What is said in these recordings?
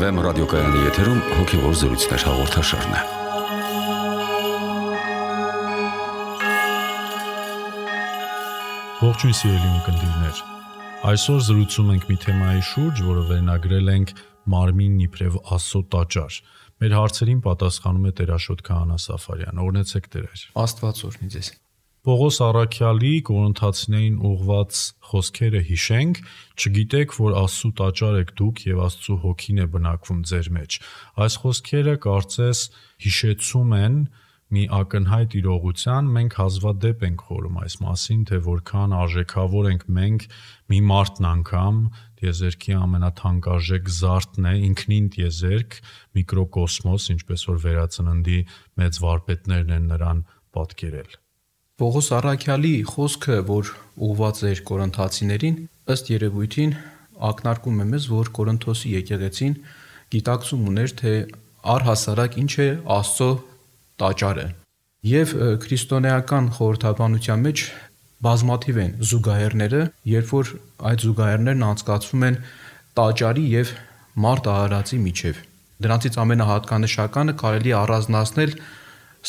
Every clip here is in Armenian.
FM ռադիոկայանի եթերում հոգևոր զրույցներ հաղորդաշարն է։ Ողջույն սիրելի ունկնդիրներ։ Այսօր զրուցում ենք մի թեմայի շուրջ, որը վերնագրել ենք Մարմինն իբրև Աստծո տաճար։ Մեր հարցերին պատասխանում է Տեր-Աշոտ Քահանա Սաֆարյան։ Օրհնեցեք Տեր։ Աստված օրհնի ձեզ։ Պողոս առաքյալի Կորինթացիներին ուղված խոսքերը հիշենք, չգիտեք, որ Աստծո տաճար եք դուք եւ Աստծո հոգին է բնակվում ձեր մեջ։ Այս խոսքերը կարծես հիշեցում են մի ակնհայտ իրողության, մենք հազվադեպ ենք խորում այս մասին, թե որքան արժեքավոր ենք մենք մի մարդն անգամ, տիեզերքի ամենաթանկարժեք զարդն է, ինքնին տիեզերք, միկրոկոսմոս, ինչպես որ վերածննդի մեծ վարպետներն են նրան պատկերել։ Պողոս առաքյալի խոսքը, որ ուղված էր կորինթացիներին, ըստ երևույթին ակնարկում է մեզ, որ Կորինթոսի եկեղեցին գիտակցում ուներ, թե առհասարակ ինչ է Աստծո տաճարը։ Եվ քրիստոնեական խորհրդաբանության մեջ բազմաթիվ են զուգահեռները, երբ որ այդ զուգահեռներն անցկացվում են տաճարի եւ մարդ արարածի միջև։ Դրանցից ամենահատկանշականը կարելի է առանձնացնել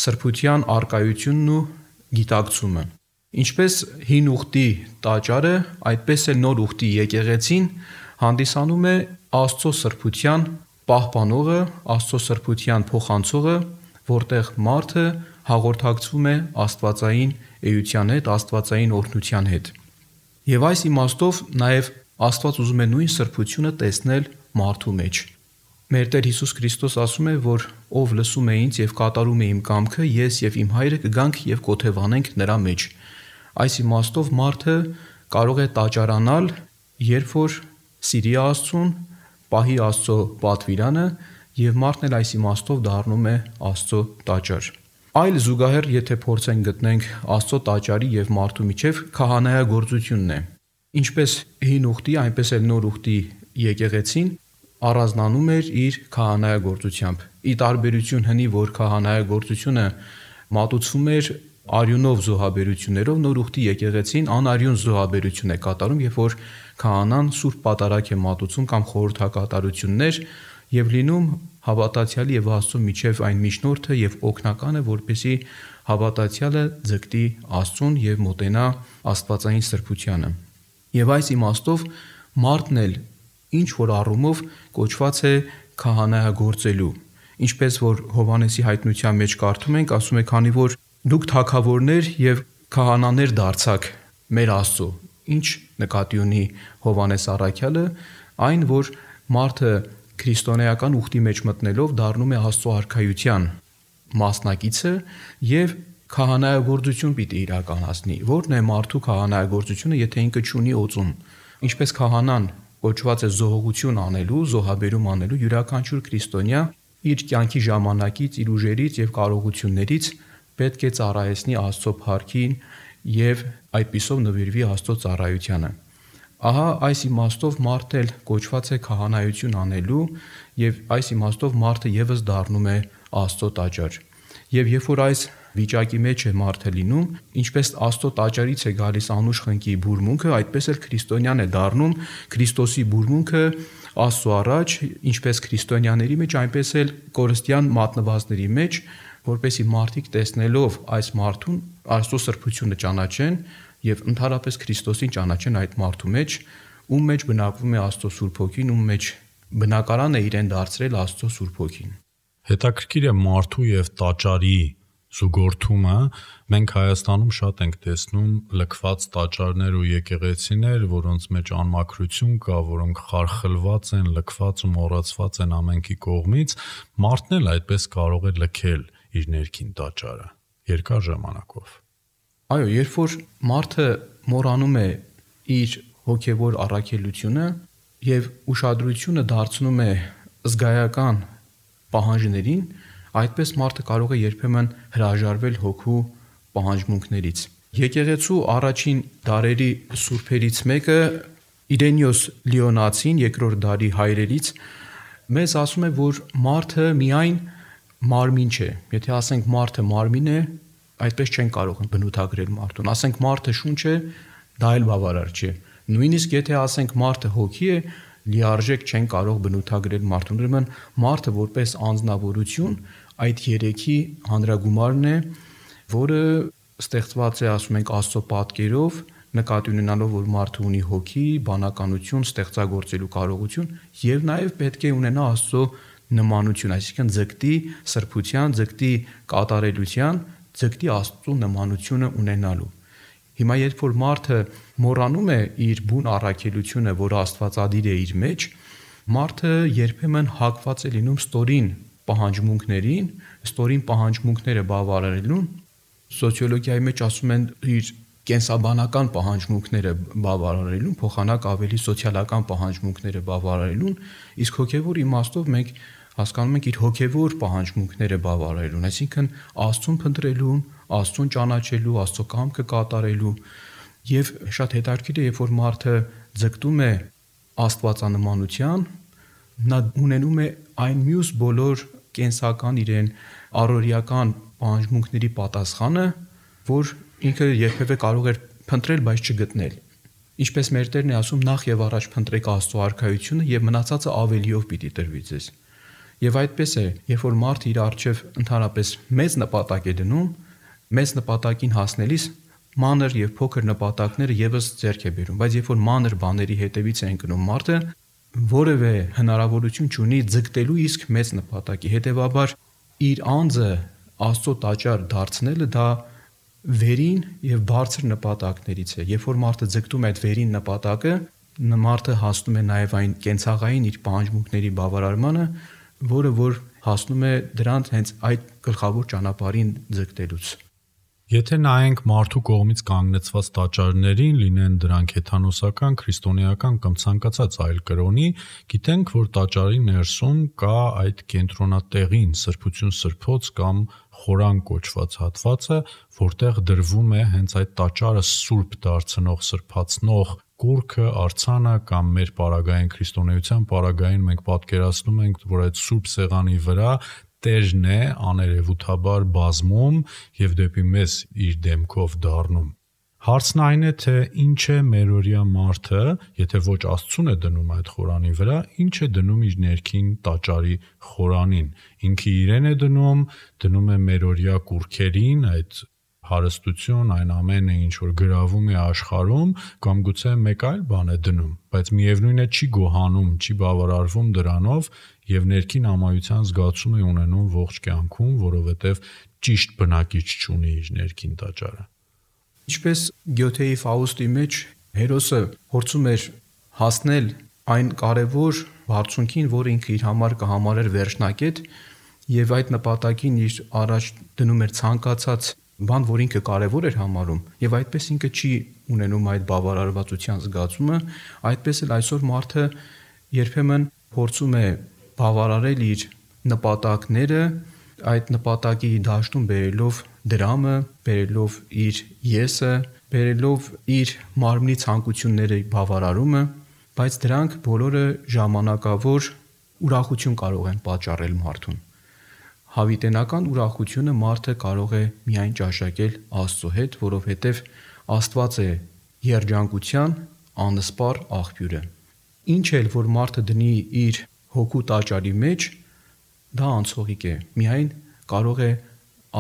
սրբության արկայությունն ու գիտակցումը։ Ինչպես հին ուխտի տաճարը, այդպես էլ նոր ուխտի եկեղեցին հանդիսանում է Աստծո սրբության պահպանողը, Աստծո սրբության փոխանցողը, որտեղ մարդը հաղորդակցվում է աստվածային էության հետ, աստվածային օրհնության հետ։ Եվ այս իմաստով նաև Աստված ուզում է նույն սրբությունը տեսնել մարդու մեջ։ Մեր Տեր Հիսուս Քրիստոս ասում է, որ ով լսում է ինձ եւ կատարում է իմ կամքը, ես եւ իմ Հայրը կգանք եւ կոթևանենք նրա մեջ։ Այս իմաստով մարդը կարող է տաճարանալ, երբ որ սիրի Աստծուն, պահի Աստծո պատվիրանը եւ մարդն էլ այս իմաստով դառնում է Աստծո տաճար։ Այլ զուգահեռ, եթե փորձենք գտնենք Աստծո տաճարի եւ մարդու միջև քահանայագործությունն է։ Ինչպես հին ուխտի, այնպես էլ նոր ուխտի եկեղեցին առանձնանում էր իր քահանայագործությամբ։ Ի տարբերություն հնի, որ քահանայագործությունը մատուցվում էր արյունով զոհաբերություններով, նոր ուխտի եկեղեցին անարյուն զոհաբերություն է կատարում, երբ որ քահանան սուրբ պատարագ է մատուցում կամ խորհրդակատարություններ եւ լինում հավատացյալի եւ Աստծո միջև այն միջնորդը եւ օգնականը, որպեսզի հավատացյալը ձգտի Աստծուն եւ մոտենա աստվածային սրբությանը։ Եվ այս իմաստով մարդն էլ ինչ որ առումով կոչված է քահանայագործելու, ինչպես որ Հովհաննեսի հայտնության մեջ կարդում ենք, ասում է, քանի որ դուք թագավորներ եւ քահանաներ դարձաք մեր Աստծո։ Ինչ նկատի ունի Հովհաննես առաքյալը, այն որ մարդը քրիստոնեական ուխտի մեջ մտնելով դառնում է Աստծո արքայության մասնակիցը եւ քահանայագործություն պիտի իրականացնի։ Որն է մարդու քահանայագործությունը, եթե ինքը չունի օծում։ Ինչպես քահանան կոչված է զոհողություն անելու, զոհաբերում անելու, յուրաքանչյուր քրիստոնյա իր կյանքի ժամանակից, իր ուժերից եւ կարողություններից պետք է ծառայեցնի Աստծո փառքին եւ այդպիսով նվիրվի Աստծո ծառայությանը։ Ահա այս իմաստով մարդը էլ կոչված է քահանայություն անելու եւ այս իմաստով մարդը եւս դառնում է Աստծո տաճար։ Եվ երբ որ այս վիճակի մեջ է մարդը լինում, ինչպես Աստծո տաճարից է գալիս անուշ խնկի բուրմունքը, այդպես էլ քրիստոնյան է դառնում Քրիստոսի բուրմունքը Աստծո առաջ, ինչպես քրիստոնյաների մեջ, այնպես էլ կորստյան մատնվածների մեջ, որպեսզի մարդիկ տեսնելով այս մարդուն Աստծո սրբությունը ճանաչեն եւ ընդհանրապես Քրիստոսին ճանաչեն այդ մարդու մեջ, ում մեջ բնակվում է Աստծո Սուրբ Հոգին, ում մեջ բնակարան է իրեն դարձրել Աստծո Սուրբ Հոգին։ Հետաքրքիր է մարդու եւ տաճարի զուգորդումը։ Մենք Հայաստանում շատ ենք տեսնում լքված տաճարներ ու եկեղեցիներ, որոնց մեջ անմաքրություն կա, որոնք խարխլված են, լքված ու մոռացված են ամենքի կողմից։ Մարդն էլ այդպես կարող է լքել իր ներքին տաճարը երկար ժամանակով։ Այո, երբ որ մարդը մոռանում է իր հոգևոր առաքելությունը եւ ուշադրությունը դարձնում է զգայական պահանջներին, այդպես մարդը կարող է երբեմն հրաժարվել հոգու պահանջմունքներից։ Եկեղեցու առաջին դարերի սուրբերից մեկը Իրենիոս Լիոնացին, երկրորդ դարի հայրերից, մեզ ասում է, որ մարդը միայն մարմին չէ։ Եթե ասենք մարդը մարմին է, այդպես չեն կարող բնութագրել մարդուն։ Ասենք մարդը շունչ է, դա էլ բավարար չէ։ Նույնիսկ եթե ասենք մարդը հոգի է, լիարժեք չեն կարող բնութագրել մարդուն։ Ուրեմն մարդը որպես անձնավորություն այդ երեքի հանրագումարն է, որը ստեղծված է, ասում ենք, Աստծո պատկերով, նկատի ունենալով, որ մարդը ունի հոգի, բանականություն, ստեղծագործելու կարողություն եւ նաեւ պետք է ունենա Աստծո նմանություն, այսինքն ձգտի սրբության, ձգտի կատարելության, ձգտի Աստծո նմանությունը ունենալու։ Հիմա երբ որ մարդը մոռանում է իր բուն առաքելությունը, որը Աստվածադիր է իր մեջ, մարդը երբեմն հակված է լինում ստորին պահանջմունքներին, ստորին պահանջմունքները բավարարելուն։ Սոցիոլոգիայի մեջ ասում են իր կենսաբանական պահանջմունքները բավարարելուն, փոխանակ ավելի սոցիալական պահանջմունքները բավարարելուն, իսկ հոգևոր իմաստով մենք հասկանում ենք իր հոգևոր պահանջմունքները բավարարելուն, այսինքն Աստծուն փնտրելուն, Աստծուն ճանաչելու, Աստծո կամքը կատարելու։ Եվ շատ հետաքրքիր է, երբ որ մարդը ձգտում է աստվածանմանության, նա ունենում է այն մյուս բոլոր կենսական իրեն առօրյական պահանջմունքների պատասխանը, որ ինքը երբևէ կարող էր փնտրել, բայց չգտնել։ Ինչպես մեր Տերն է ասում, նախ եւ առաջ փնտրեք Աստծո արքայությունը եւ մնացածը ավելիով պիտի տրվի ձեզ։ Եվ այդպես է, երբ որ մարդը իր առջև ընդհանրապես մեծ նպատակ է դնում, մեծ նպատակին հասնելիս մանր եւ փոքր նպատակները եւս ձեռք է բերում, բայց երբ որ մանր բաների հետևից է ընկնում մարդը, որևէ հնարավորություն չունի ձգտելու իսկ մեծ նպատակի, հետեւաբար իր անձը Աստծո տաճար դարձնելը դա վերին եւ բարձր նպատակներից է։ Երբ որ մարդը ձգտում է այդ վերին նպատակը, մարդը հասնում է նաեւ այն կենցաղային իր պահանջմունքների բավարարմանը, որը որ հասնում է դրանց հենց այդ գլխավոր ճանապարհին ձգտելուց։ Եթե նայենք մարդու կողմից կանգնեցված տաճարներին, լինեն դրանք հեթանոսական, քրիստոնեական կամ ցանկացած այլ կրոնի, գիտենք, որ տաճարի ներսում կա այդ կենտրոնատեղին սրբություն սրբոց կամ խորան կոչված հատվածը, որտեղ դրվում է հենց այդ տաճարը սուրբ դարձնող, սրբացնող կուրքը, արձանը կամ մեր պարագային քրիստոնեության պարագային մենք պատկերացնում ենք, որ այդ սուրբ սեղանի վրա Տերն է աներևութաբար բազմում եւ դեպի մեզ իր դեմքով դառնում։ Հարցն այն է, թե ինչ է մերօրյա մարդը, եթե ոչ Աստծուն է դնում այդ խորանի վրա, ինչ է դնում իր ներքին տաճարի խորանին։ Ինքը իրեն է դնում է մերօրյա կուրքերին, այդ հարստություն, այն ամենը, ինչ որ գրավում է աշխարհում, կամ գուցե մեկ այլ բան է դնում, բայց միևնույն է չի գոհանում, չի բավարարվում դրանով եւ ներքին ամայության զգացում է ունենում ողջ կյանքում, որովհետեւ ճիշտ բնակիչ չունի իր ներքին տաճարը։ Ինչպես Գյոթեի Ֆաուստի մեջ հերոսը փորձում էր հասնել այն կարևոր բարձունքին, որը ինքը իր համար կհամարեր վերջնակետ, եւ այդ նպատակին իր առաջ դնում էր ցանկացած բան, որ ինքը կարևոր էր համարում, եւ այդպես ինքը չի ունենում այդ բավարարվածության զգացումը, այդպես էլ այսօր մարդը երբեմն փորձում է բավարարել իր նպատակները, այդ նպատակի դաշտում բերելով դրամը, բերելով իր եսը, բերելով իր մարմնի ցանկությունների բավարարումը, բայց դրանք բոլորը ժամանակավոր ուրախություն կարող են պատճառել մարդուն։ Հավիտենական ուրախությունը մարդը կարող է միայն ճաշակել Աստծո հետ, որովհետև Աստված է երջանկության անսպառ աղբյուրը։ Ինչ էլ որ մարդը դնի իր հոգու տաճարի մեջ, դա անցողիկ է։ Միայն կարող է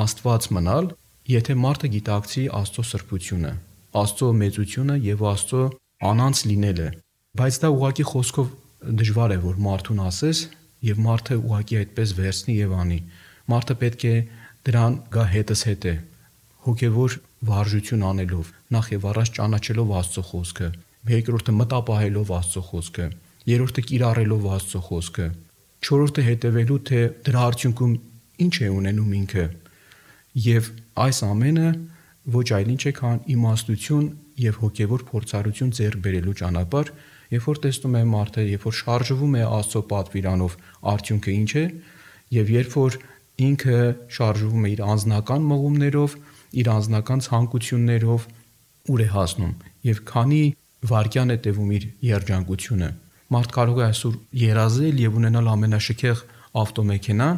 Աստված մնալ, եթե մարդը գիտակցի Աստծո սրբությունը, Աստծո մեծությունը եւ Աստծո անանց լինելը։ Բայց դա ուղղակի խոսքով դժվար է որ մարդուն ասես եւ մարդը ուղղակի այդպես վերցնի եւ անի։ Մարդը պետք է դրան գա հետս հետ է, հոգևոր վարժություն անելով, նախ եւ առաջ ճանաչելով Աստծո խոսքը, երկրորդը մտապահելով Աստծո խոսքը, երրորդը կիրառելով Աստծո խոսքը, չորրորդը հետևելու թե դրա արդյունքում ինչ է ունենում ինքը։ Եվ այս ամենը ոչ այլ ինչ է, քան իմաստություն եւ հոգևոր փորձառություն ձեռք բերելու ճանապարհ, երբ որ տեսնում է մարդը, երբ որ շարժվում է Աստծո պատվիրանով, արդյունքը ինչ է, եւ երբ որ ինքը շարժվում է իր անձնական մղումներով, իր անձնական ցանկություններով, ուր է հասնում եւ քանի վայրկյան է տևում իր երջանկությունը։ Մարդ կարող է այսօր երազել եւ ունենալ ամենաշքեղ ավտոմեքենան,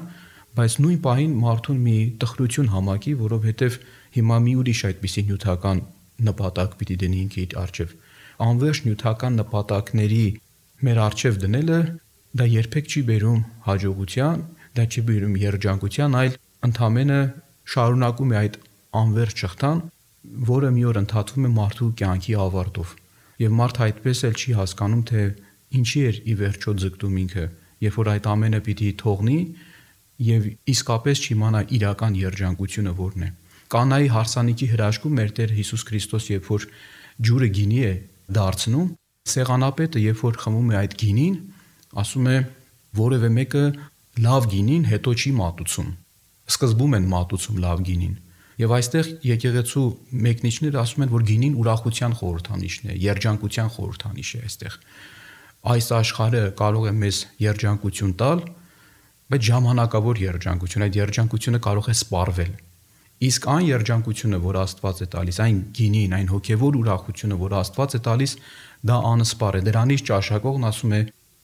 բայց նույն պահին մարդուն մի տխրություն համակի, որովհետեւ հիմա մի ուրիշ այդպիսի նյութական նպատակ պիտի դնի ինքը իր առջև։ Անվերջ նյութական նպատակների մեր առջև դնելը դա երբեք չի բերում հաջողության, դա չի բերում երջանկության, այլ ընդամենը շարունակում է այդ անվերջ շղթան, որը մի օր ընդհատվում է մարդու կյանքի ավարտով։ Եվ մարդը այդպես էլ չի հասկանում, թե ինչի էր ի վերջո ձգտում ինքը, երբ որ այդ ամենը պիտի թողնի եւ իսկապես չիմանա իրական երջանկությունը որն է։ Կանայի հարսանիքի հրաշքում մեր Տեր Հիսուս Քրիստոս, երբ որ ջուրը գինի է դարձնում, սեղանապետը երբ որ խմում է այդ գինին, ասում է որևէ մեկը լավ գինին հետո չի մատուցում։ Սկզբում են մատուցում լավ գինին։ Եվ այստեղ եկեղեցու մեկնիչները ասում են, որ գինին ուրախության խորհրդանիշն է, երջանկության խորհրդանիշ է այստեղ։ Այս աշխարհը կարող է մեզ երջանկություն տալ, բայց ժամանակավոր երջանկություն, այդ երջանկությունը կարող է սպառվել։ Իսկ այն երջանկությունը, որ Աստված է տալիս, այն գինին, այն հոգևոր ուրախությունը, որ Աստված է տալիս, դա անսպառ է։ Դրանից ճաշակողն ասում է,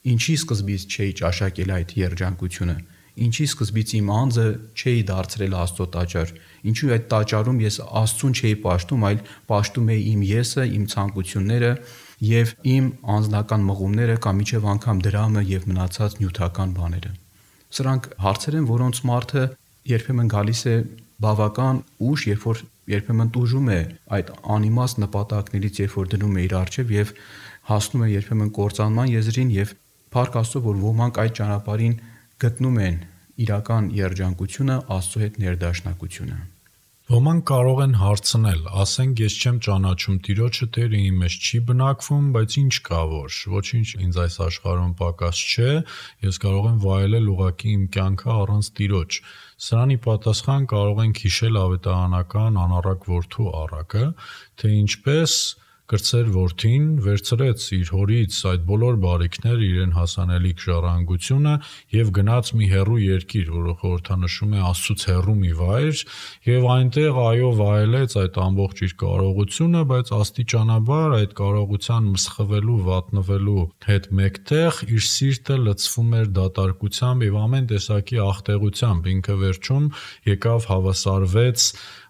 ինչի սկզբից չէի ճաշակել այդ երջանկությունը, ինչի սկզբից իմ անձը չէի դարձրել Աստծո տաճար, ինչու այդ տաճարում ես Աստծուն չէի պաշտում, այլ պաշտում էի իմ եսը, իմ ցանկությունները եւ իմ անձնական մղումները կամ իջև անգամ դրամը եւ մնացած նյութական բաները։ Սրանք հարցեր են, որոնց մարդը երբեմն գալիս է բավական ուշ, երբ որ երբեմն տուժում է այդ անիմաստ նպատակներից, երբ որ դնում է իր առջև եւ հասնում է երբեմն կործանման եզրին եւ փառք Աստծո, որ ոմանք այդ ճանապարհին գտնում են իրական երջանկությունը, Աստծո հետ ներդաշնակությունը։ Ոմանք կարող են հարցնել, ասենք ես չեմ ճանաչում Տիրոջը, Տերը իմ մեջ չի բնակվում, բայց ինչ կա որ, ոչինչ ինձ այս աշխարհում պակաս չէ, ես կարող եմ վայելել ուղղակի իմ կյանքը առանց Տիրոջ։ Սրանի պատասխան կարող ենք հիշել ավետարանական անառակ որդու առակը, թե ինչպես կրտսեր որդին վերցրեց իր հորից այդ բոլոր բարիքները, իրեն հասանելիք ժառանգությունը եւ գնաց մի հեռու երկիր, որը խորհրդանշում է Աստծուց հեռու մի վայր, եւ այնտեղ այո վայելեց այդ ամբողջ իր կարողությունը, բայց աստիճանաբար այդ կարողության մսխվելու, վատնվելու հետ մեկտեղ իր սիրտը լցվում էր դատարկությամբ եւ ամեն տեսակի աղտեղությամբ, ինքը վերջում եկավ հավասարվեց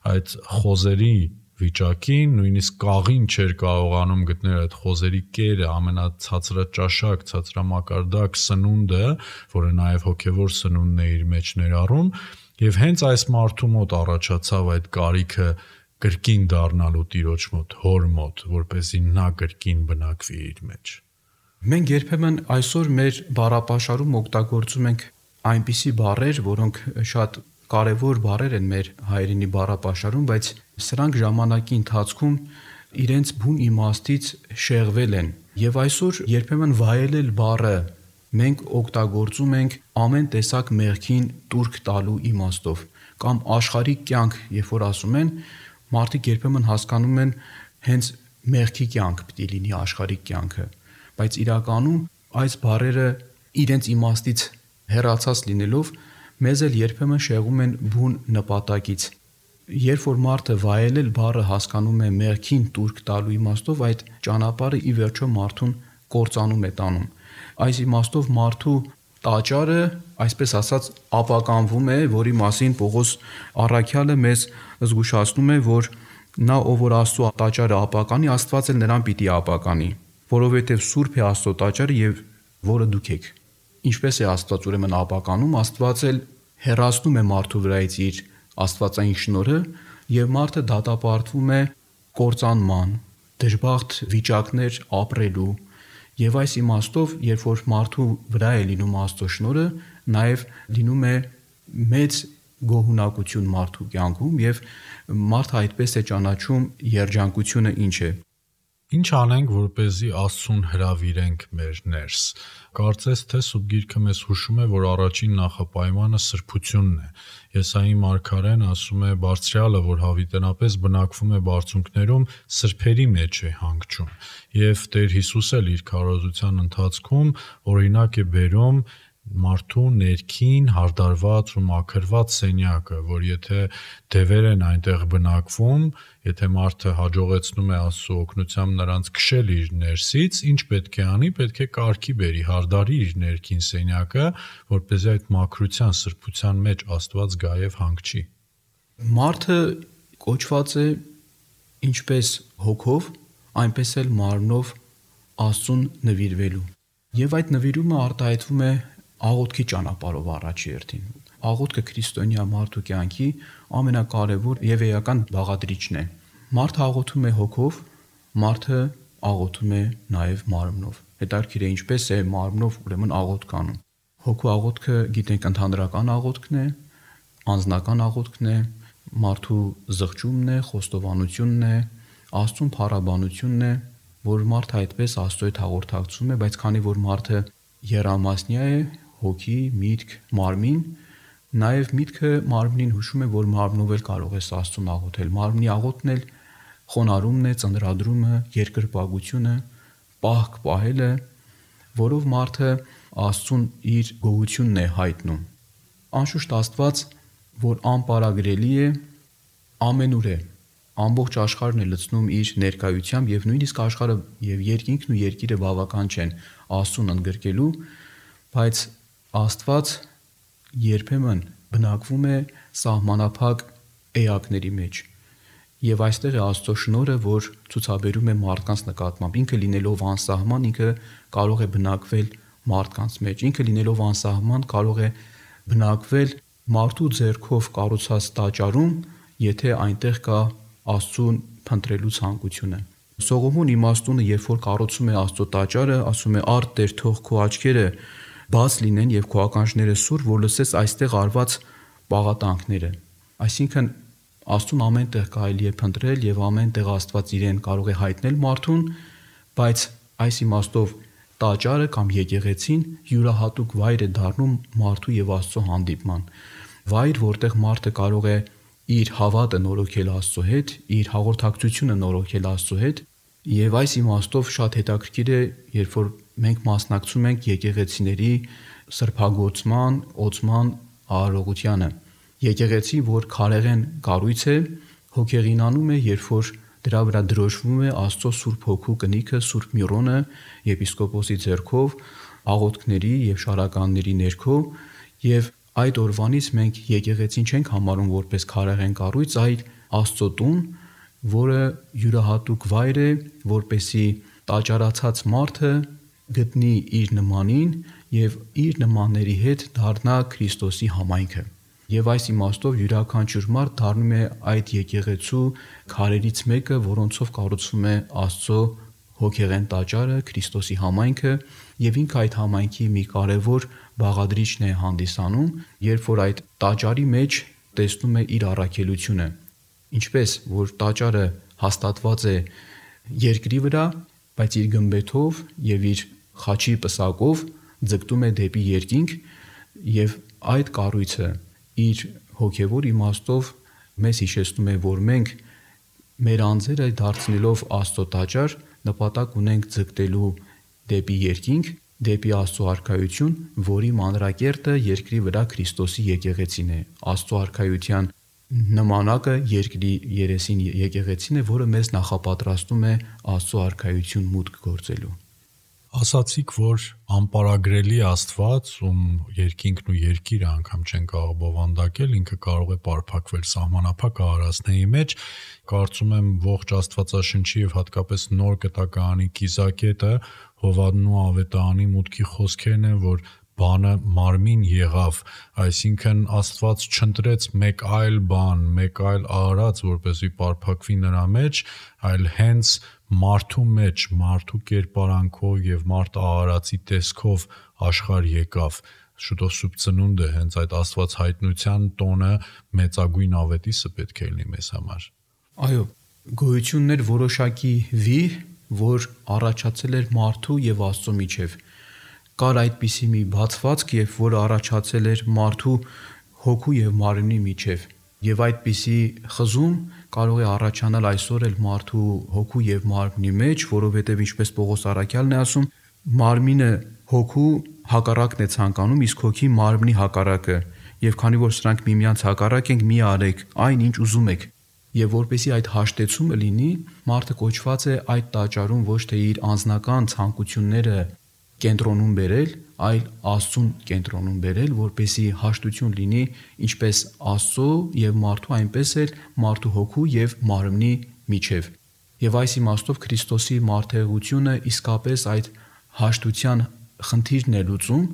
այդ խոզերի վիճակին, նույնիսկ կաղին չէր կարողանում գտնել այդ խոզերի կերը, ամենացածրաճաշակ, ցածրամակարդակ սնունդը, որը նաև հոգևոր սնունդն է իր մեջ ներառում, եւ հենց այս մարդու մոտ առաջացավ այդ կարիքը կրկին դառնալու Տիրոջ մոտ, հոր մոտ, որպեսզի նա կրկին բնակվի իր մեջ։ Մենք երբեմն այսօր մեր բառապաշարում օգտագործում ենք այնպիսի բառեր, որոնք շատ կարևոր բառեր են մեր հայրենի բառապաշարում, բայց սրանք ժամանակի ընթացքում իրենց բուն իմաստից շեղվել են։ Եվ այսօր երբեմն վայելել բառը մենք օգտագործում ենք ամեն տեսակ մեղքին տուրք տալու իմաստով կամ աշխարհիկ կյանք, երբ որ ասում են, մարդիկ երբեմն հասկանում են հենց մեղքի կյանք պիտի լինի աշխարհիկ կյանքը, բայց իրականում այս բառերը իրենց իմաստից հեռացած լինելով մեզ էլ երբեմն շեղում են բուն նպատակից։ Երբ որ մարդը վայելել բառը հասկանում է մեղքին տուրք տալու իմաստով, այդ ճանապարհը ի վերջո մարդուն կործանում է տանում։ Այս իմաստով մարդու տաճարը, այսպես ասած, ապականվում է, որի մասին Պողոս առաքյալը մեզ զգուշացնում է, որ նա ով որ Աստծո տաճարը ապականի, Աստված էլ նրան պիտի ապականի, որովհետև սուրբ է Աստծո տաճարը եւ որը դուք եք։ Ինչպես է Աստված ուրեմն ապականում, Աստված էլ հեռացնում է մարդու վրայից իր աստվածային շնորհը եւ մարդը դատապարտվում է կործանման, դժբախտ վիճակներ ապրելու եւ այս իմաստով, երբ որ մարդու վրա է լինում Աստծո շնորհը, նաեւ լինում է մեծ գոհունակություն մարդու կյանքում եւ մարդը այդպես է ճանաչում երջանկությունը ինչ է։ Ինչ անենք, որպեսզի Աստծուն հրավիրենք մեր ներս։ Կարծես թե Սուրբ Գիրքը մեզ հուշում է, որ առաջին նախապայմանը սրբությունն է։ Եսայի մարգարեն ասում է Բարձրյալը, որ հավիտենապես բնակվում է բարձունքներում, սրբերի մեջ է հանգչում։ Եվ Տեր Հիսուս էլ իր քարոզության ընթացքում օրինակ է բերում մարդու ներքին հարդարված ու մաքրված սենյակը, որ եթե դևեր են այնտեղ բնակվում, եթե մարդը հաջողեցնում է Աստծո օգնությամբ նրանց քշել իր ներսից, ինչ պետք է անի, պետք է կարգի բերի, հարդարի իր ներքին սենյակը, որպեսզի այդ մաքրության, սրբության մեջ Աստված գա եւ հանգչի։ Մարդը կոչված է ինչպես հոգով, այնպես էլ մարմնով Աստծուն նվիրվելու։ Եվ այդ նվիրումը արտահայտվում է աղոթքի ճանապարհով առաջի հերթին։ Աղոթքը քրիստոնյա մարդու կյանքի ամենակարևոր եւ էական բաղադրիչն է։ Մարդը աղոթում է հոգով, մարդը աղոթում է նաեւ մարմնով։ Հետարքիր է ինչպես է մարմնով ուրեմն աղոթք անում։ Հոգու աղոթքը գիտենք ընդհանրական աղոթքն է, անձնական աղոթքն է, մարդու զղջումն է, խոստովանությունն է, Աստծուն փառաբանությունն է, որ մարդը այդպես Աստծո հետ հաղորդակցում է, բայց քանի որ մարդը եռամասնյա է, հոգի, միտք, մարմին, նաև միտքը մարմնին հուշում է, որ մարմնով էլ կարող է Աստծուն աղոթել։ Մարմնի աղոթքն էլ խոնարհումն է, ծննդրադրումը, երկրպագությունը, պահք պահելը, որով մարդը Աստծուն իր գոհությունն է հայտնում։ Անշուշտ Աստված, որ անպարագրելի է, ամենուր է, ամբողջ աշխարհն է լցնում իր ներկայությամբ եւ նույնիսկ աշխարհը եւ երկինքն ու երկիրը բավական չեն Աստծուն ընդգրկելու, բայց Աստված երբեմն բնակվում է սահմանափակ էակների մեջ։ Եվ այստեղ է Աստծո շնորհը, որ ցուցաբերում է մարդկանց նկատմամբ։ Ինքը լինելով անսահման, ինքը կարող է բնակվել մարդկանց մեջ։ Ինքը լինելով անսահման կարող է բնակվել մարդու ձեռքով կառուցած տաճարում, եթե այնտեղ կա Աստծուն փնտրելու ցանկությունը։ Սողոմոն իմաստունը, երբ որ կառուցում է Աստծո տաճարը, ասում է. «Արդ Տեր, թող քո աչքերը բաց լինեն եւ քո ականջները սուր, որ լսես այստեղ արված պաղատանքները»։ Այսինքն Աստծուն ամենտեղ կարելի է փնտրել եւ ամենտեղ Աստված իրեն կարող է հայտնել մարդուն, բայց այս իմաստով տաճարը կամ եկեղեցին յուրահատուկ վայր է դառնում մարդու եւ Աստծո հանդիպման։ Վայր, որտեղ մարդը կարող է իր հավատը նորոգել Աստծո հետ, իր հաղորդակցությունը նորոգել Աստծո հետ, եւ այս իմաստով շատ հետաքրքիր է, երբ որ մենք մասնակցում ենք եկեղեցիների սրբագործման, օծման արարողությանը։ Եկեղեցի, որ քարեղեն կառույց է, հոգեղինանում է, երբ որ դրա վրա դրոշվում է Աստծո Սուրբ Հոգու կնիքը, Սուրբ Միրոնը եպիսկոպոսի ձեռքով, աղոթքների եւ շարականների ներքո, եւ այդ օրվանից մենք եկեղեցին չենք համարում որպես քարեղեն կառույց, այլ Աստծո տուն, որը յուրահատուկ վայր է, որպեսի տաճարացած մարդը գտնի իր նմանին եւ իր նմանների հետ դառնա Քրիստոսի համայնքը։ Եվ այս իմաստով յուրաքանչյուր մարդ դառնում է այդ եկեղեցու քարերից մեկը, որոնցով կառուցվում է Աստծո հոգեղեն տաճարը, Քրիստոսի համայնքը, եւ ինքը այդ համայնքի մի կարևոր բաղադրիչն է հանդիսանում, երբ որ այդ տաճարի մեջ տեսնում է իր առաքելությունը։ Ինչպես որ տաճարը հաստատված է երկրի վրա, բայց իր գմբեթով եւ իր խաչի պսակով ձգտում է դեպի երկինք, եւ այդ կառույցը իր հոգևոր իմաստով մեզ հիշեցնում է, որ մենք մեր անձերը դարձնելով Աստծո տաճար նպատակ ունենք ձգտելու դեպի երկինք, դեպի Աստծո արքայություն, որի մանրակերտը երկրի վրա Քրիստոսի եկեղեցին է։ Աստծո արքայության նմանակը երկրի երեսին եկեղեցին է, որը մեզ նախապատրաստում է Աստծո արքայություն մուտք գործելու։ Ասացիք, որ անպարագրելի Աստված, ում երկինքն ու երկիրը անգամ չեն կարող բովանդակել, ինքը կարող է պարփակվել սահմանափակ արարածների մեջ։ Կարծում եմ ողջ Աստվածաշնչի եւ հատկապես Նոր Կտակարանի կիզակետը Հովհաննու ավետարանի մուտքի խոսքերն են, որ բանը մարմին եղավ, այսինքն Աստված չընտրեց մեկ այլ բան, մեկ այլ արարած, որպեսզի պարփակվի նրա մեջ, այլ հենց մարդու մեջ, մարդու կերպարանքով եւ մարդ արարածի տեսքով աշխարհ եկավ։ Շուտով Սուրբ Ծնունդը հենց այդ Աստված հայտնության տոնը մեծագույն ավետիսը պետք է լինի մեզ համար։ Այո, գոյությունն էր որոշակի վիհ, որ առաջացել էր մարդու եւ Աստծո միջև։ Կար այդպիսի մի բացվածք, երբ որ առաջացել էր մարդու հոգու եւ մարմնի միջև։ Եվ այդպիսի խզում կարող է առաջանալ այսօր էլ մարդու հոգու եւ մարմնի մեջ, որովհետեւ ինչպես Պողոս առաքյալն է ասում, մարմինը հոգու հակառակն է ցանկանում, իսկ հոգի մարմնի հակառակը։ Եվ քանի որ սրանք միմյանց հակառակ են, մի արեք այն, ինչ ուզում եք։ Եվ որպեսզի այդ հաշտեցումը լինի, մարդը կոչված է այդ տաճարում ոչ թե իր անձնական ցանկությունները կենտրոնում բերել, այլ Աստծուն կենտրոնում բերել, որպեսզի հաշտություն լինի ինչպես Աստծո եւ մարդու, այնպես էլ մարդու հոգու եւ մարմնի միջև։ Եվ այս իմաստով Քրիստոսի մարդեղությունը իսկապես այդ հաշտության խնդիրն է լուծում,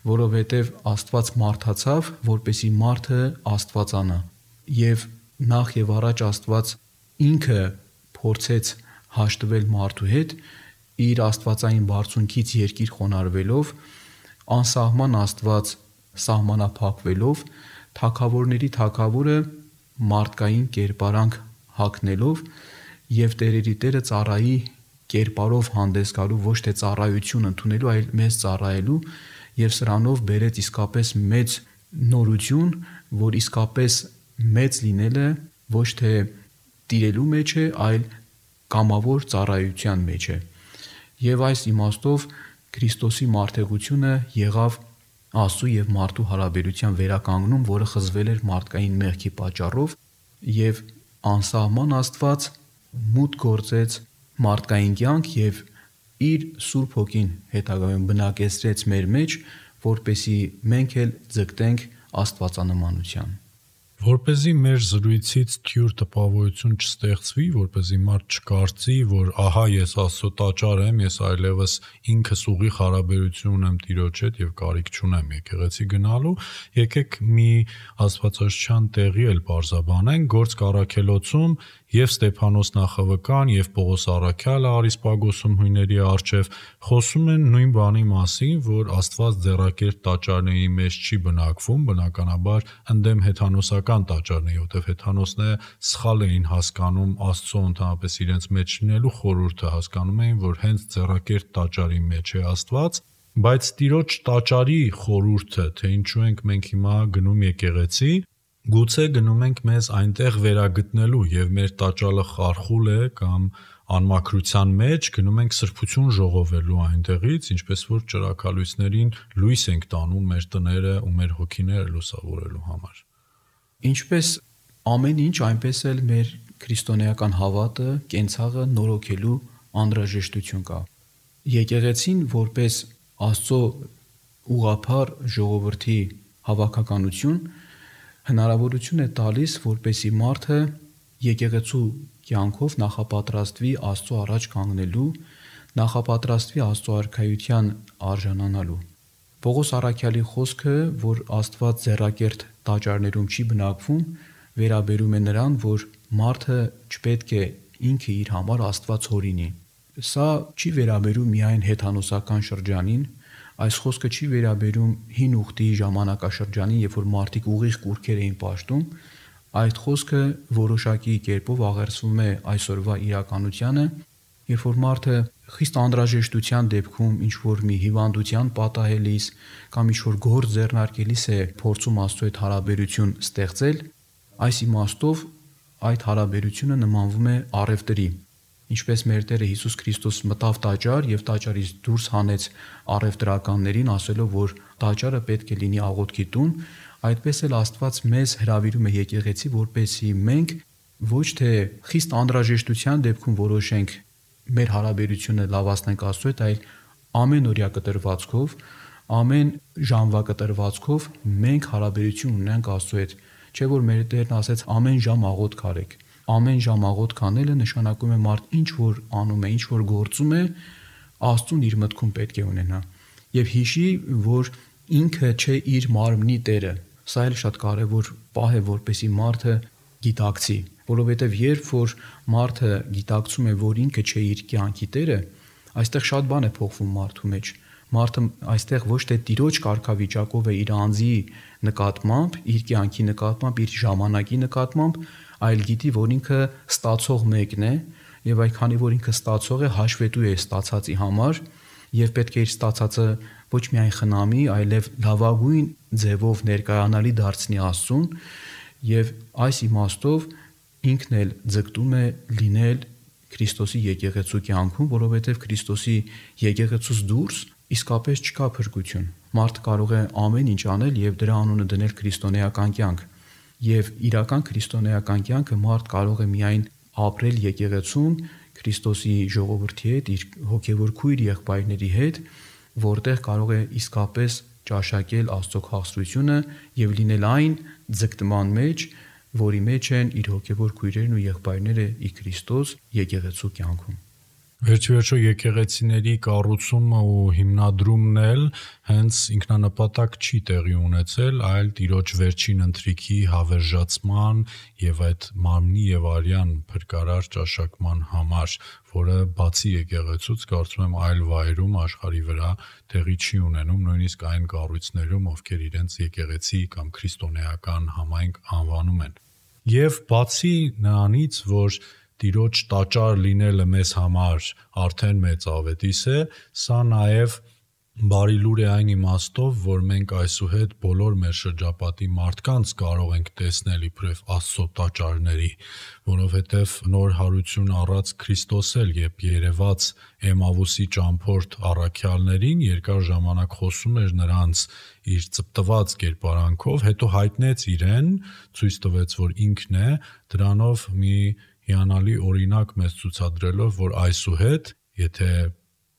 որովհետև Աստված մարդացավ, որպեսզի մարդը աստվածանա։ Եվ նախ եւ առաջ Աստված ինքը փորձեց հաշտվել մարդու հետ իր աստվածային բարձունքից երկիր խոնարհվելով, անսահման Աստված սահմանափակվելով, թագավորների թագավորը մարդկային կերպարանք հագնելով եւ տերերի տերը ծառայի կերպարով հանդես գալու, ոչ թե ծառայություն ընդունելու, այլ մեզ ծառայելու, եւ սրանով բերեց իսկապես մեծ նորություն, որ իսկապես մեծ լինելը ոչ թե տիրելու մեջ է, այլ կամավոր ծառայության մեջ է։ Եվ այս իմաստով Քրիստոսի մարդեղությունը եղավ Աստծո եւ մարդու հարաբերության վերականգնում, որը խզվել էր մարդկային մեղքի պատճառով, եւ անսահման Աստված մուտք գործեց մարդկային կյանք եւ իր Սուրբ Հոգին հետագայում բնակեցրեց մեր մեջ, որպեսզի մենք էլ ձգտենք աստվածանմանության։ Որպեսզի մեր զրույցից թյուր տպավորություն չստեղծվի, որպեսզի մարդ չկարծի, որ ահա ես Աստծո տաճար եմ, ես այլևս ինքս ուղիղ հարաբերություն ունեմ Տիրոջ հետ եւ կարիք չունեմ եկեղեցի գնալու, եկեք մի աստվածաշնչյան տեղի էլ բարձաբանենք, Գործք առաքելոցում եւ Ստեփանոս Նախավկան եւ Պողոս Առաքյալը Արիսպագոսում հույների առջև խոսում են նույն բանի մասին, որ Աստված ձեռակերտ տաճարների մեջ չի բնակվում, բնականաբար ընդդեմ հեթանոսական տաճարների, որտեղ հեթանոսները սխալ էին հասկանում Աստծո ընդհանրապես իրենց մեջ լինելու խորհուրդը, հասկանում էին, որ հենց ձեռակերտ տաճարի մեջ է Աստված, բայց Տիրոջ տաճարի խորհուրդը, թե ինչու ենք մենք հիմա գնում եկեղեցի, գուցե գնում ենք մեզ այնտեղ վերագտնելու եւ մեր տաճարը խարխուլ է կամ անմաքրության մեջ, գնում ենք սրբություն ժողովելու այնտեղից, ինչպես որ ճրագալույցներին լույս ենք տանում մեր տները ու մեր հոգիները լուսավորելու համար։ Ինչպես ամեն ինչ, այնպես էլ մեր քրիստոնեական հավատը, կենցաղը նորոգելու անհրաժեշտություն կա։ Եկեղեցին որպես Աստծո ուղղափառ ժողովրդի հավաքականություն հնարավորություն է տալիս, որպեսզի մարդը եկեղեցու կյանքով նախապատրաստվի Աստծո առաջ կանգնելու, նախապատրաստվի Աստծո արքայության արժանանալու։ Պողոս Առաքյալի խոսքը, որ Աստված ձեռակերտ տաճարներում չի բնակվում, վերաբերում է նրան, որ մարդը չպետք է ինքը իր համար Աստված հորինի։ Սա չի վերաբերում միայն հեթանոսական շրջանին, այս խոսքը չի վերաբերում հին ուխտի ժամանակաշրջանին, երբ որ մարդիկ ուղիղ կուրքեր էին պաշտում, այդ խոսքը որոշակի կերպով աղերսվում է այսօրվա իրականությանը, երբ որ մարդը խիստ անհրաժեշտության դեպքում ինչ որ մի հիվանդության պատահելիս կամ ինչ որ գործ ձեռնարկելիս է փորձում Աստծո հետ հարաբերություն ստեղծել, այս իմաստով այդ հարաբերությունը նմանվում է առևտրի։ Ինչպես մեր Տերը Հիսուս Քրիստոս մտավ տաճար եւ տաճարից դուրս հանեց առևտրականներին, ասելով, որ տաճարը պետք է լինի աղոթքի տուն, այդպես էլ Աստված մեզ հրավիրում է եկեղեցի, որպեսզի մենք ոչ թե խիստ անհրաժեշտության դեպքում որոշենք մեր հարաբերությունը լավացնենք Աստծո հետ, այլ ամենօրյա կտրվածքով, ամեն ժամվա կտրվածքով մենք հարաբերություն ունենք Աստծո հետ, չէ՞ որ մեր Տերն ասեց ամեն ժամ աղոթք արեք։ Ամեն ժամ աղոթք անելը նշանակում է մարդ ինչ որ անում է, ինչ որ գործում է, Աստծուն իր մտքում պետք է ունենա եւ հիշի, որ ինքը չէ իր մարմնի տերը։ Սա էլ շատ կարեւոր պահ է, որպեսզի մարդը գիտակցի, որովհետեւ երբ որ մարդը գիտակցում է, որ ինքը չէ իր կյանքի տերը, այստեղ շատ բան է փոխվում մարդու մեջ։ Մարդը այստեղ ոչ թե Տիրոջ կարգավիճակով է իր անձի նկատմամբ, իր կյանքի նկատմամբ, իր ժամանակի նկատմամբ, այլ գիտի, որ ինքը ստացող մեկն է եւ այքանի որ ինքը ստացող է, հաշվետու է ստացածի համար եւ պետք է իր ստացածը ոչ միայն խնամի, այլև լավագույն ձևով ներկայանալի դարձնի Աստծուն եւ այս իմաստով ինքն էլ ձգտում է լինել Քրիստոսի եկեղեցու կյանքում, որովհետեւ Քրիստոսի եկեղեցուց դուրս իսկապես չկա փրկություն։ Մարդ կարող է ամեն ինչ անել եւ դրա անունը դնել քրիստոնեական կյանք։ Եվ իրական քրիստոնեական կյանքը մարդ կարող է միայն ապրել եկեղեցում Քրիստոսի ժողովրդի հետ, իր հոգևոր քույր եղբայրների հետ, որտեղ կարող է իսկապես ճաշակել Աստծո քաղցրությունը եւ լինել այն ձգտման մեջ, որի մեջ են իր հոգևոր քույրերն ու եղբայրները ի Քրիստոս եկեղեցու կյանքում։ Վերջիվերջո եկեղեցիների կառուցումը ու հիմնադրումն էլ հենց ինքնանպատակ չի տեղի ունեցել, այլ Տիրոջ վերջին ընթրիքի հավերժացման եւ այդ մարմնի եւ արյան փրկարար ճաշակման համար, որը բացի եկեղեցուց կարծում եմ այլ վայրում աշխարհի վրա տեղի չի ունենում, նույնիսկ այն կառույցներում, ովքեր իրենց եկեղեցի կամ քրիստոնեական համայնք անվանում են։ Եվ բացի նրանից, որ Տիրոջ տաճար լինելը մեզ համար արդեն մեծ ավետիս է, սա նաև բարի լուր է այն իմաստով, որ մենք այսուհետ բոլոր մեր շրջապատի մարդկանց կարող ենք տեսնել իբրև Աստծո տաճարների, որովհետև նոր հարություն առած Քրիստոս էլ երբ երևաց Էմավուսի ճամփորդ առաքյալներին, երկար ժամանակ խոսում էր նրանց իր ծպտված կերպարանքով, հետո հայտնեց իրեն, ցույց տվեց, որ ինքն է, դրանով մի հիանալի օրինակ մեզ ցուցադրելով, որ այսուհետ, եթե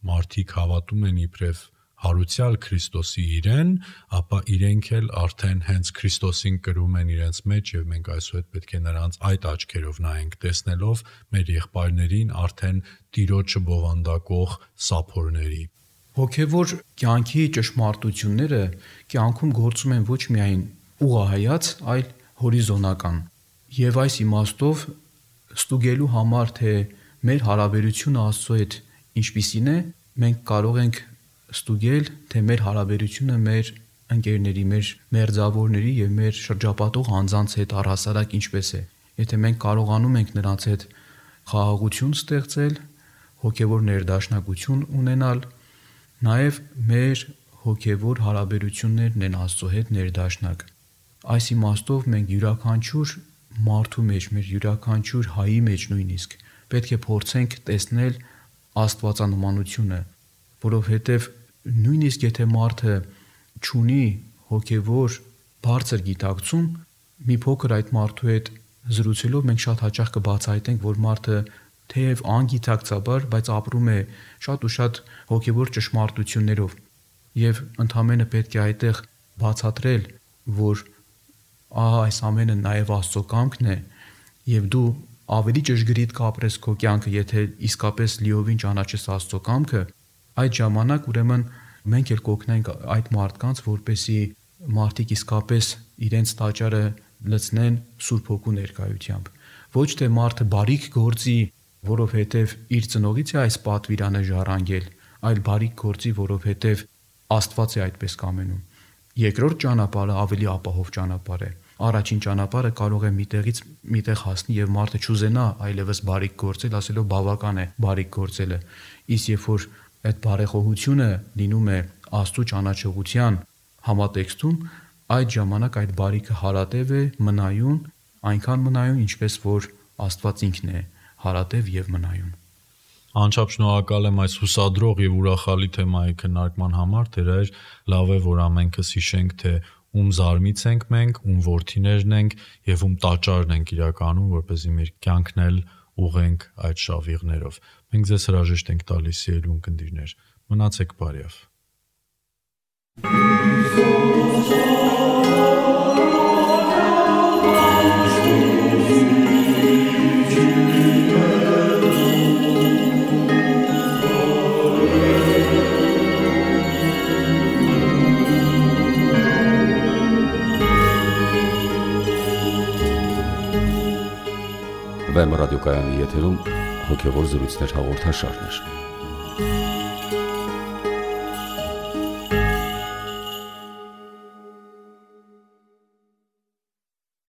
մարդիկ հավատում են իբրև հարուցյալ Քրիստոսի իրեն, ապա իրենք էլ արդեն հենց Քրիստոսին կրում են իրենց մեջ եւ մենք այսուհետ պետք է նրանց այդ աչքերով նայենք, տեսնելով մեր եղբայրներին արդեն Տիրոջը բովանդակող սափորների։ Հոգևոր կյանքի ճշմարտությունները կյանքում գործում են ոչ միայն ուղղահայաց, այլ հորիզոնական։ Եվ այս իմաստով ստուգելու համար, թե մեր հարաբերությունը Աստծո հետ ինչպիսին է, մենք կարող ենք ստուգել, թե մեր հարաբերությունը մեր ընկերների, մեր մերձավորների եւ մեր շրջապատող անձանց հետ առհասարակ ինչպես է։ Եթե մենք կարողանում ենք նրանց հետ խաղաղություն ստեղծել, հոգևոր ներդաշնակություն ունենալ, նաեւ մեր հոգևոր հարաբերություններն են Աստծո հետ ներդաշնակ։ Այս իմաստով մենք յուրաքանչյուր մարդու մեջ, մեր յուրաքանչյուր հայի մեջ նույնիսկ պետք է փորձենք տեսնել աստվածանմանությունը, որովհետև նույնիսկ եթե մարդը չունի հոգևոր բարձր գիտակցում, մի փոքր այդ մարդու հետ զրուցելով մենք շատ հաճախ կբացահայտենք, որ մարդը թեև անգիտակցաբար, բայց ապրում է շատ ու շատ հոգևոր ճշմարտություններով, եւ ընդհանրապես պետք է այդտեղ բացատրել, որ այս ամենը նաև Աստծո կամքն է եւ դու ավելի ճշգրիտ կապրես քո կյանքը, եթե իսկապես լիովին ճանաչես Աստծո կամքը, այդ ժամանակ ուրեմն մենք էլ կօգնենք այդ մարդկանց, որպեսզի մարդիկ իսկապես իրենց տաճարը լցնեն Սուրբ Հոգու ներկայությամբ։ Ոչ թե մարդը բարիք գործի, որովհետև իր ծնողից է այս պատվիրանը ժառանգել, այլ բարիք գործի, որովհետև Աստված է այդպես կամենում։ Երկրորդ ճանապարհը ավելի ապահով ճանապարհ է։ Առաջին ճանապարհը կարող է միտեղից միտեղ հասնի եւ մարդը չուզենա այլևս բարիք գործել, ասելով բավական է բարիք գործելը։ Իսկ երբ որ այդ բարեխոհությունը լինում է Աստծո ճանաչողության համատեքստում, այդ ժամանակ այդ բարիքը հարատև է, մնայուն, այնքան մնայուն, ինչպես որ Աստված ինքն է հարատև եւ մնայուն։ Անչափ շնորհակալ եմ այս հուսադրող եւ ուրախալի թեմայի քննարկման համար, դեռ լավ է, որ ամենքս հիշենք, թե ում զարմից ենք մենք, ում որդիներն ենք եւ ում տաճարն ենք իրականում, որպեսզի մեր կյանքն էլ ուղենք այդ շավիղներով։ Մենք ձեզ հրաժեշտ ենք տալիս, սիրելի ունկնդիրներ։ Մնացեք բարյավ։ Վեմ ռադիոկայանի եթերում հոգևոր զրույցներ հաղորդաշարներ։